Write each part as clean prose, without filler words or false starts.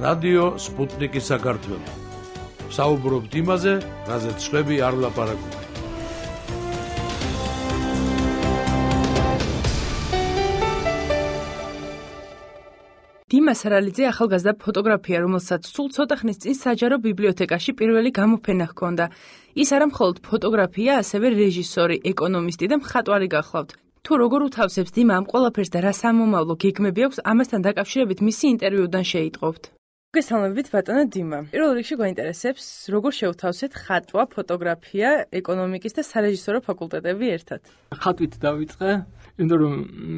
რადიო სპუტნიკის საქართველო. საუბრობთ იმაზე, რაზეც სხვები არ ლაპარაკობენ. დიმა სარალიძე ახალგაზრდა ფოტოგრაფია, რომელსაც სულ ცოტა ხნის წინ საჯარო ბიბლიოთეკაში პირველი გამოფენა ჰქონდა. ის არა მხოლოდ ფოტოგრაფია, ასევე რეჟისორი, ეკონომისტი და მხატვარი გახლავთ. თუ როგორ უთავსებს დიმა ამ ყველაფერს და რა სამომავლო გეგმები აქვს, ამასთან დაკავშირებით მისი ინტერვიუდან შეიტყობთ. გესალმებით, ბატონო დიმა. პირველ რიგში გვაინტერესებს, როგორ შევთავსეთ ხატვა, ფოტოგრაფია, ეკონომიკის და სარეჟისორო ფაკულტეტები ერთად. ხატვით დავიწყე, იმიტომ რომ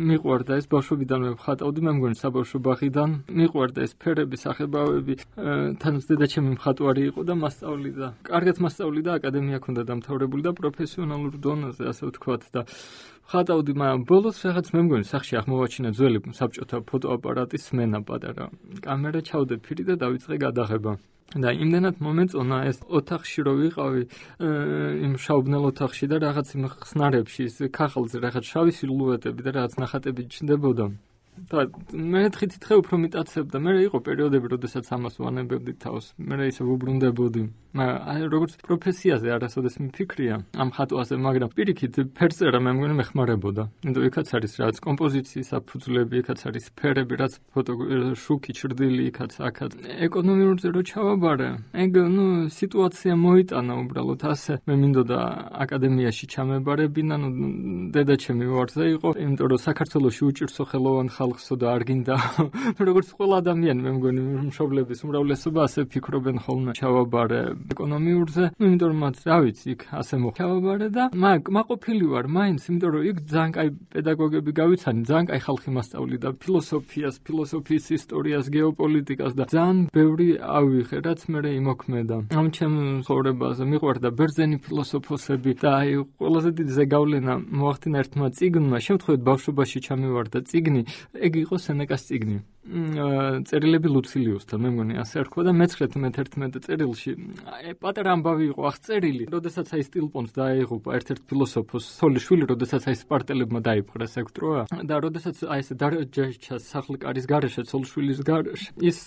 მიყვარდა ეს ბავშვობიდანვე ვხატავდი, მე მგონი საბავშვო ბაღიდან. მიყვარდა ეს ფერები, სახებავები, თანაც დედაჩემი მხატვარი იყო და მასწავლიდა. კარგად მასწავლიდა, აკადემია ჰქონდა დამთავრებული და პროფესიონალურ დონეზე, ასე ვთქვათ და ხატავდი, მაგრამ ბოლოს რაღაც მე მგონი სახში აღმოვაჩინა ძველი საბჭოთა ფოტოაპარატის სმენა პატარა. კამერა ჩავდე ფირი და დავიწყე გადაღება. და იმდენად მომეწონა ეს ოთახში რო ვიყავი, იმ შაუბნელ ოთახში და რაღაც იმ ხსნარებში, ის ქაღალდზე რაღაც შავი სილუეტები და რაღაც ნახატები ჩნდებოდა. და მე თხითითხე უფრო მიტაცებდა. მე იყო პერიოდები, როდესაც ამას ვანებებდი თავს. მე ისე ვუბრუნდებოდი. მაგრამ როგორც პროფესიაზე არასოდეს მიფიქრია ამ ხატვაზე, მაგრამ პირიქით ფერწერა მე მგონი მეხმარებოდა. იმიტომ იქაც არის რაღაც კომპოზიციის საფუძვლები, იქაც არის ფერები, რაც შუქი, ჩრდილი, იქაც აქაც. ეკონომიურზე რო ჩავაბარე, ეგ სიტუაცია მოიტანა უბრალოდ ასე. მე მინდოდა აკადემიაში ჩამებარებინა, დედაჩემი ვარზე იყო, იმიტომ რომ საქართველოში უჭირსო ხელოვან ხალხსო და არ გინდა როგორც ყველა ადამიანი მე მგონი მშობლების უმრავლესობა ასე ფიქრობენ ხოლმე ჩავაბარე ეკონომიურზე, იმიტომ რომ მათ რა ვიცი იქ ასე მოხავაბარე და მაყოფილი ვარ მაინც, იმიტომ რომ იქ ძალიან კაი პედაგოგები გავიცანი, ძალიან კაი ხალხი მასწავლიდა ფილოსოფიას, ფილოსოფიის ისტორიას, გეოპოლიტიკას და ძალიან ბევრი ავიღე, რაც მე იმოქმედა. ამ ჩემ ცხოვრებაზე მიყვარდა ბერძენი ფილოსოფოსები და აი ყველაზე დიდი ზეგავლენა მოახდინა ერთმა წიგნმა, შემთხვევით ბავშვობაში ჩამივარდა წიგნი, ეგ იყო სენეკას წიგნი. წერილები ლუცილიუსთან, მე მგონი ასე ერქვა და მე-11 წერილში პატარა ამბავი იყო აღწერილი, როდესაც აი სტილპონს დაეღუპა ერთ-ერთ ფილოსოფოს სოლიშვილი, როდესაც აი სპარტელებმა დაიპყრეს ექტროა და როდესაც აი ესე დარჩა სახლკარის გარეშე, სოლიშვილის გარეშე, ის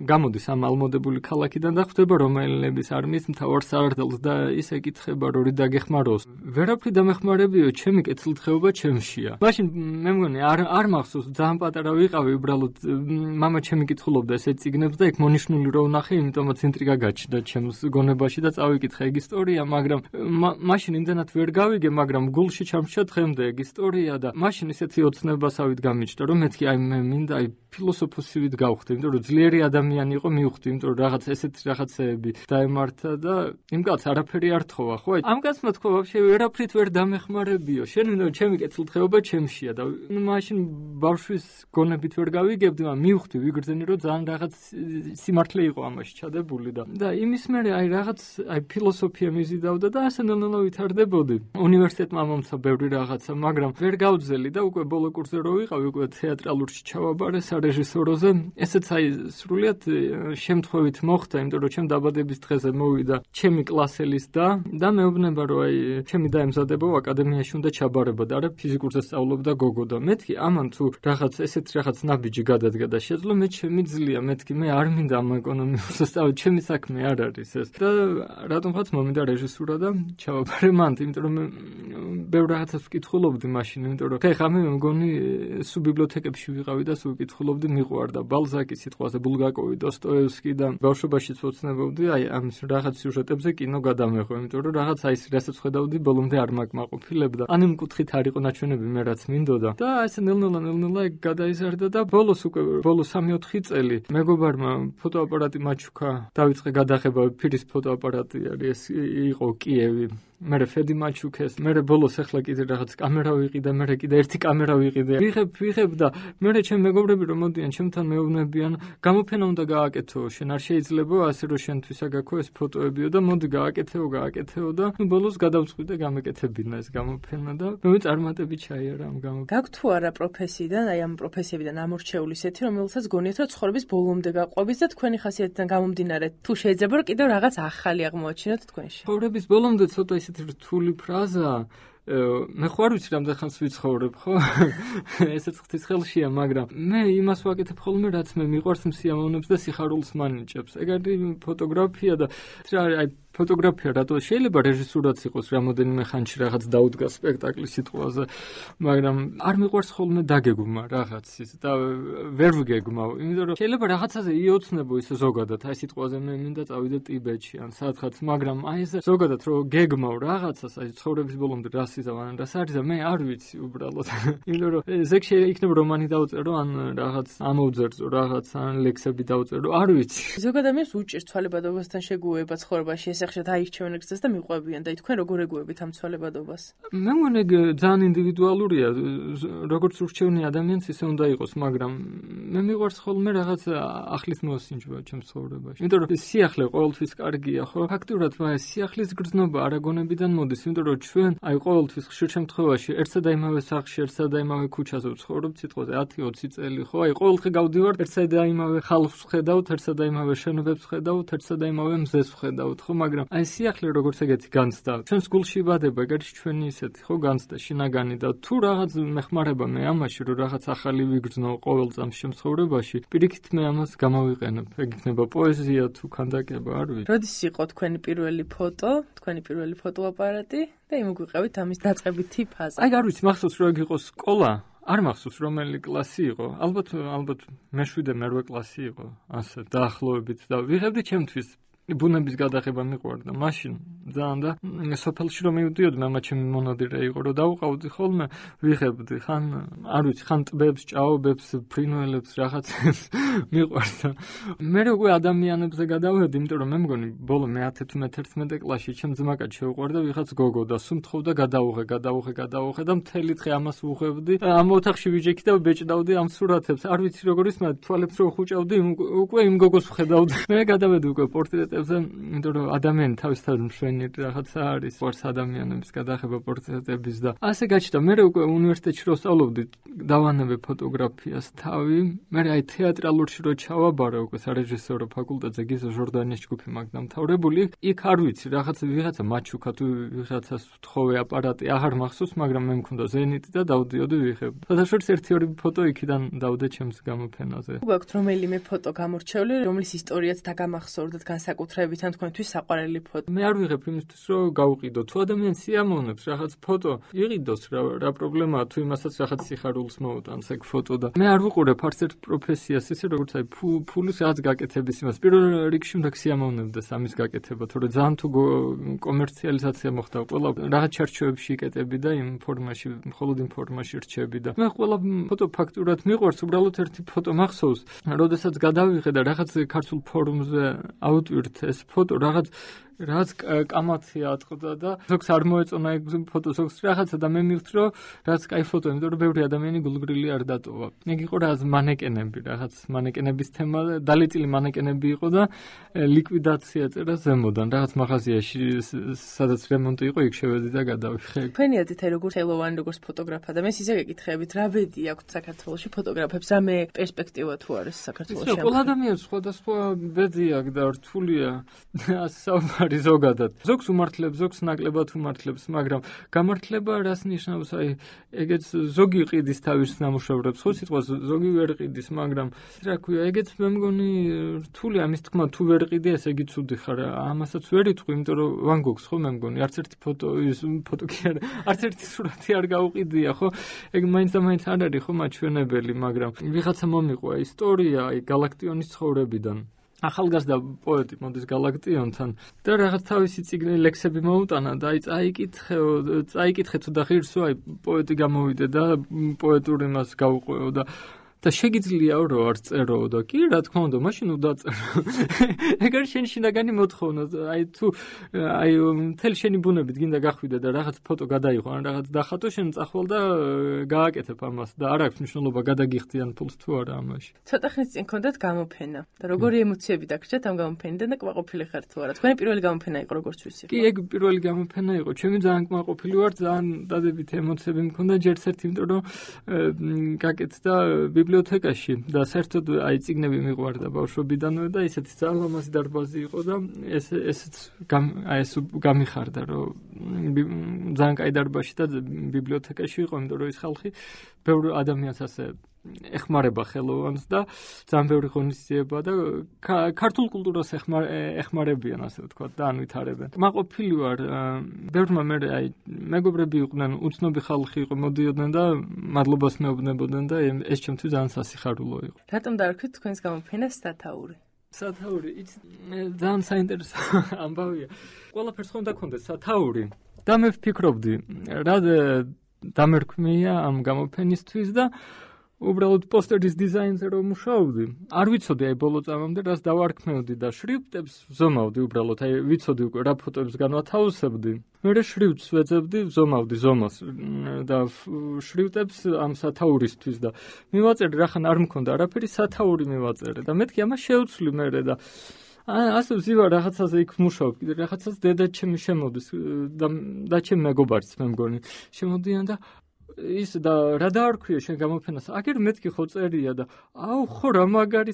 გამოდის ამ ალმოდებული ქალაქიდან და ხვდება რომაელების არმიის მთავარ სარდალს და ის ეკითხება, რომ რი დაგეხმაროს. ვერაფერი დამეხმარებიო, ჩემი კეთილდღეობა ჩემშია. მაშინ მე მგონი არ მახსოვს, ძალიან პატარა ვიყავი, უბრალოდ მამა ჩემი კითხულობდა ესე წიგნებს და იქ მონიშნული რო ვნახე, იმიტომაც ინტრიგა გაჩნდა ჩემს გონებაში და წავიკითხე ეგ ისტორია, მაგრამ მაშინ იმდენად ვერ გავიგე, მაგრამ გულში ჩამშა დღემდე ეგ ისტორია და მაშინ ისეთი ოცნებასავით გამიჩნდა, რომ მეთქი აი მე მინდა აი ფილოსოფოსივით გავხდე, იმიტომ რომ ძლიერი ადამიანი იყო მივხვდი, იმიტომ რომ რაღაც ესეთი რაღაცეები დაემართა და იმ კაცს არაფერი არ თხოვა, ხო? ამ კაცმა თქვა, ვაფშე ვერაფრით ვერ დამეხმარებიო. შენ მინდა ჩემი კეთილდღეობა ჩემშია და მაშინ ბავშვის გონებით ვერ გავიგებდი, მივხვდი ვიგრძენი, რომ ძალიან რაღაც სიმართლე იყო ამაში ჩადებული და იმის მერე აი რაღაც აი ფილოსოფია მიზიდავდა და ასე ნელ-ნელა ვითარდებოდი. უნივერსიტეტმა მომცა ბევრი რაღაცა, მაგრამ ვერ გავძელი და უკვე ბოლო კურსზე რო ვიყავი, უკვე თეატრალურში ჩავაბარე სარეჟისოროზე. ესეც აი სრულიად შემთხვევით მოხდა, იმიტომ რომ ჩემ დაბადების დღეზე მოვიდა ჩემი კლასელის და მეუბნება, რომ აი ჩემი დაემზადება აკადემიაში უნდა ჩაბარება და არა ფიზიკურზე სწავლობდა გოგო და მეთქი ამან თუ რაღაც ესეთ რაღაც ნაბიჯი გადადგა და შეძლო მე შემიძლია, მეთქი მე არ მინდა ამ ეკონომიკურზე სწავლე, ჩემი საქმე არ არის ეს. და რატომღაც მომინდა რეჟისურა და ჩავაბარე მანდ, იმიტომ რომ ბევრ რაღაცას ვკითხულობდი მაშინ, იმიტომ რომ ხა მე მგონი სულ ბიბლიოთეკებში ვიყავი და სულ ვკითხულობდი, მიყვარდა ბალზაკი სიტყვაზე, ბულგაკოვი, დოსტოევსკი და ბავშვობაშიც ვოცნებობდი აი ამ რაღაც სიუჟეტებზე კინო გადამეღო, იმიტომ რომ რაღაც აი ეს რასაც ხედავდი ბოლომდე არ მაკმაყოფილებდა. ან იმ კუთხით არ იყო ნაჩვენები მე რაც მინდოდა. და ესე ნელ-ნელა გადაიზარდა და ბოლოს 3-4 წელი მეგობარმა ფოტოაპარატი მაჩუქა, დავიწყე გადაღება, ფირის ფოტოაპარატი არის, იყო კიევი. მერე ფედი მაჩუქეს, მერე ბოლოს ახლა კიდე რაღაც კამერა ვიყიდე, მერე კიდე ერთი კამერა ვიყიდე. ვიღებ და მერე ჩემ მეგობრები რომ მოდიან, ჩემთან მეუბნებიან, გამოფენა უნდა გააკეთო, შენ არ შეიძლება ასე რომ შენთვის აგაქო ეს ფოტოებიო და მოდი გააკეთეო და ბოლოს გადავწყვიტე გამეკეთებინა ეს გამოფენა და მე წარმატებით ჩაიარა ამ გამოფენა. გაქვთ თუ არა პროფესიიდან, აი ამ პროფესიებიდან ამორჩეული ისეთი, რომელსაც გონიათ რომ ცხოვრების ბოლომდე გაყვებით და თქვენი ხასიათიდან გამომდინარე, თუ შეიძლება რომ კიდევ რაღაც ახალი აღმოაჩინოთ თქვენში. ცხოვრების ბოლომდე ცოტა ისეთი რთული ფრაზაა, მე ხო არ ვიცი რამდენ ხანს ვიცხოვრებ, ხო? ესეც ღვთის ხელშია, მაგრამ მე იმას ვაკეთებ ხოლმე, რაც მე მიყვარს სიამოვნებს და სიხარულს მანიჭებს. ეგ არის ფოტოგრაფია და აი ფოტოგრაფია რატო შეიძლება რეჟისურაც იყოს რამოდენიმე ხანში რაღაც დაუდგა სპექტაკლის სიტყვაზე, მაგრამ არ მიყვარს ხოლმე დაგეგმა რაღაცის და ვერ ვგეგმავ, იმიტომ რომ შეიძლება რაღაცაზე იოცნებო ისე ზოგადად, აი სიტყვაზე მე მინდა წავიდე ტიბეტში ან სადღაც, მაგრამ აი ეს ზოგადად რომ გეგმავ რაღაცას, აი ცხოვრების ბოლომდე რას იზავ ან რას არის და მე არ ვიცი უბრალოდ. იმიტომ რომ ზეგ შეიძლება რომანი დავწერო ან რაღაც ამოვძერძო რაღაც ან ლექსები დავწერო, არ ვიცი. ზოგადად ადამიანს უჭირს ცვალებადობასთან შეგუება ცხოვრებაში, ესახშად აირჩევენ გზას და მიყვებიან და თქვენ როგორ ეგუებით ამ ცვალებადობას? მე მგონი ძალიან ინდივიდუალურია, როგორც ურჩევნი ადამიანს ისე უნდა იყოს, მაგრამ მე მიყვარს ხოლმე რაღაც ახლის მოსინჯვა ჩემს ცხოვრებაში. იმიტომ რომ სიახლე ყოველთვის კარგია, ხო? ფაქტურად სიახლის გრძნობა არაგონებიდან მოდის, იმიტომ რომ ჩვენ აი ყოველთვის ხშირ შემთხვევაში ერთსა და იმავე სახლში, ერთსა და იმავე ქუჩაზე ვცხოვრობთ, სიტყვაზე 10-20 წელი, ხო? აი ყოველდღე გავდივართ ერთსა და იმავე ხალხს ვხედავთ, ერთსა და იმავე შენობებს ვხედავთ, ერთსა და იმავე მზეს ვხედავთ, ხო? მაგრამ აი სიახლე როგორც ეგეთი განცდა. ჩვენს გულში იბადება, ეგ არის ჩვენი ისეთი, ხო, განცდა, შინაგანი და თუ რაღაც მეხმარება მე ამაში, რომ რაღაც ახალი ვიგრძნო ყოველ წამს შემთხვევაში, პირიქით მე ამას გამოვიყენებ. ეგ იქნება პოეზია თუ ქანდაკება, არ ვიცი. როდის იყო თქვენი პირველი ფოტო, თქვენი პირველი ფოტოაპარატი და იმოგვიყევით ამის დაწყებითი ფაზა? აი არ ვიცი, მახსოვს რომ ეგ იყო სკოლა. არ მახსოვს რომელი კლასი იყო. ალბათ მე-7 მე-8 კლასი იყო. ასე დაახლოებით და ვიღებდი ჩემთვის ბუნების გადაღება მიყვარდა მაშინ ძალიან და სოფელში რომ მივდიოდი მამა ჩემი მონადირე იყო რომ დავუყავდი ხოლმე ვიღებდი ხან არ ვიცი ხან ტბებს ჭაობებს ფრინველებს რაღაცებს მიყვარდა მე უკვე ადამიანებზე გადავედი იმიტომ რომ მე მგონი ბოლო მე-10-11 კლასში ჩემ ძმაკაც შეუყვარდა ვიღაც გოგო და სულ მთხოვდა გადავუღე და მთელი დღე ამას ვუღებდი ამ ოთახში ვიჯექი და ვბეჭდავდი ამ სურათებს არ ვიცი როგორ ის მაგრამ თვალებს რო ხუჭავდი უკვე იმ გოგოს ვხედავდი მე გადავედი უკვე პორტრეტებზე იმიტომ რომ ადამიანი თავისთავად მშვენი რაღაცა არის ვარს ადამიანების გადაღება პორტრეტების და ასე გაჩნდა მე უკვე უნივერსიტეტში რო სწავლობდი დავანებე ფოტოგრაფიას თავი მე აი თეატრალურში რო ჩავაბარა უკვე სარეჟისორო ფაკულტეტზე გიზო ჟორდანიის ჯგუფი მაგ დამთავრებული იქ არ ვიცი ვიღაცა მაჩუკა თუ ვიღაცას ვთხოვე აპარატი აღარ მახსოვს მაგრამ მე მქონდა ზენიტი და დავდიოდი ვიღებ საერთოდ 1-2 ფოტო იქიდან დავდე ჩემს გამოფენაზე უგაქვთ რომელიმე ფოტო გამორჩეული რომლის ისტორიაც დაგამახსოვრდათ განსაკუთრებით ან თქვენთვის საყვარელი ფოტო მე არ ვიღებ იმისთვის რომ გავყიდო თუ ადამიანს სიამოვნებს რაღაც ფოტო იყიდოს რა პრობლემაა თუ იმასაც რაღაც სიხარულს მოუტანს ეგ ფოტო და მე არ ვუყურებ არც ერთ პროფესიას ისე როგორც აი ფულის რაღაც გაკეთების იმას პირველ რიგში უნდა სიამოვნებდეს ამის გაკეთება თორე ძალიან თუ კომერციალიზაცია მოხდა ყველა რაღაც ჩარჩოებში იკეტები და იმ ფორმაში მხოლოდ იმ ფორმაში რჩები და მე ყველა ფოტო ფაქტურად მიყვარს უბრალოდ ერთი ფოტო მახსოვს როდესაც გადავიღე და რაღაც ქართულ ფორუმზე ავტვირთ ეს ფოტო რაღაც კამათი ატყდა და ზოგს არ მოეწონა ეგ ფოტო ზოგს რაღაცა და მე მივხვდი რომ რაც კაი ფოტო იმიტომ რომ ბევრი ადამიანი გულგრილი არ დატოვა ეგ იყო რაღაც მანეკენები რაღაც მანეკენების თემა დალეწილი მანეკენები იყო და ლიკვიდაცია წერა ზემოდან რაღაც მაღაზიაში სადაც რემონტი იყო იქ შევედი და გადავიხე თქვენი აზრით როგორც ხელოვანი როგორც ფოტოგრაფა და მე ისე გეკითხებით რა ბედი აქვს საქართველოში ფოტოგრაფებს რამე პერსპექტივა თუ არის საქართველოში ყველა ადამიანს სხვადასხვა ბედი აქვს და რთულია ასე ზოგადად. ზოგს უმართლებს, ზოგს ნაკლებად უმართლებს, მაგრამ გამართლება რას ნიშნავს? აი, ეგეც ზოგი ყიდის თავის ნამუშევრებს, ხო სიტყვას ზოგი ვერ ყიდის, მაგრამ რა ქვია, ეგეც მე მგონი რთული ამის თქმა თუ ვერ ყიდი, ესე იგი ცუდი ხარ. ამასაც ვერ იტყვი, იმიტომ რომ ვან გოგს ხო მე მგონი, არც ერთი ფოტო კი არა, არც ერთი სურათი არ გაუყიდია, ხო? ეგ მაინც და მაინც არ არის ხო მაჩვენებელი, მაგრამ ვიღაცა მომიყვა ისტორია, აი გალაქტიონის ცხოვრებიდან. ახალგაზრდა პოეტი მოდის გალაქტიონთან და რაღაც თავისი წიგნი ლექსები მოუტანა და აი წაიკითხე თუ და ღირსო აი პოეტი გამოვიდე და პოეტური მას გავუყვეო და შეგიძლიაო რომ არ წერო და კი რა თქმა უნდა მაშინ უდაწერო ეგ არის შენ შინაგანი მოთხოვნა აი თუ აი მთელი შენი ბუნებით გინდა გახვიდე და რაღაც ფოტო გადაიღო ან რაღაც დახატო შენ წახვალ და გააკეთებ ამას და არ აქვს მნიშვნელობა გადაგიხდიან ფულს თუ არა ამაში ცოტა ხნის წინ გქონდათ გამოფენა და როგორი ემოციები დაგჭირეთ ამ გამოფენიდან და კმაყოფილი ხართ თუ არა თქვენი პირველი გამოფენა იყო როგორც ვიცი კი ეგ პირველი გამოფენა იყო ჩემი ძალიან კმაყოფილი ვარ ძალიან დადებითი ემოციები მქონდა ჯერ ერთ იმიტომ რომ გაკეთდა ბიბლიოთეკაში და საერთოდ აი წიგნები მიყვარდა ბავშვობიდანვე და ისეთი ძალიან ლამაზი დარბაზი იყო და ესეც ეს გამიხარდა რომ ძალიან კაი დარბაზი და ბიბლიოთეკაში იყო, იმიტომ რომ ის ხალხი ბევრ ადამიანს ასე ეხმარება ხელოვანს და ძალიან ბევრი ღონისძიება და ქართულ კულტურას ეხმარებიან, ასე ვთქვათ, და ანვითარებენ. მაყოფილი ვარ, ბევრმა მე აი მეგობრები იყვნენ, უცნობი ხალხი იყო, მოდიოდნენ და მადლობას მეუბნებოდნენ და ეს ჩემთვის ძალიან სასიხარულო იყო. რატომ დაარქვით თქვენს გამოფენას სათაური? სათაური, ძალიან საინტერესო ამბავია. ყველაფერს ხომ დაქონდეს სათაური. და მე ვფიქრობდი, რა დამერქმია ამ გამოფენისთვის და უბრალოდ პოსტერის დიზაინზე რომ მუშაობდი. არ ვიცოდი აი ბოლო წამამდე რას დავარქმევდი და შრიფტებს ვზომავდი უბრალოდ, აი ვიცოდი უკვე რა ფოტოებს განვათავსებდი. მე შრიფტს ვეძებდი, ვზომავდი ზომას და შრიფტებს ამ სათაურისთვის და მივაწერდი, რახან არ მქონდა არაფერი, სათაური მივაწერე და მეთქი ამას შეუცვლი მე და ასე ვზივარ რაღაცაზე იქ ვმუშაობ, კიდე რაღაცას დედა ჩემი შემოდის და ჩემი მეგობარიც მე მგონი შემოდიან და ის და რა დაარქვია შენ გამოფენას? აგერ მეთქი ხო წერია და აუ ხო რა მაგარი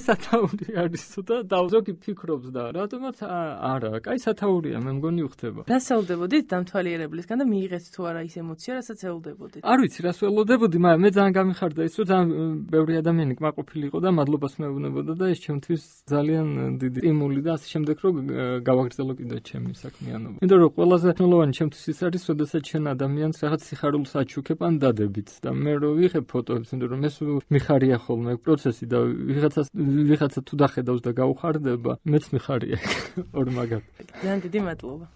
სათაური არის და ზოგი ფიქრობს და რატომაც არა, კაი სათაურია, მე მგონი უხდება. რას ელოდებოდით დამთვალიერებლისგან და მიიღეთ თუ არა ის ემოცია, რასაც ელოდებოდით? არ ვიცი, რას ველოდებოდი, მაგრამ მე ძალიან გამიხარდა ის, რომ ძალიან ბევრი ადამიანი კმაყოფილი იყო და მადლობას მეუბნებოდა და ეს ჩემთვის ძალიან დიდი სტიმული და ასე შემდეგ რომ გავაგრძელო კიდე ჩემი საქმიანობა. იმიტომ რომ ყველაზე მნიშვნელოვანი ჩემთვის ის არის, როდესაც შენ ადამიანს რაღაც სიხარულს აჩუქებ ან დადებით და მე რო ვიღებ ფოტოებს, იმიტომ რომ ეს მიხარია ხოლმე პროცესი და ვიღაცა თუ დახედავს და გაუხარდება, მეც მიხარია ორ მაგათ. ძალიან დიდი მადლობა.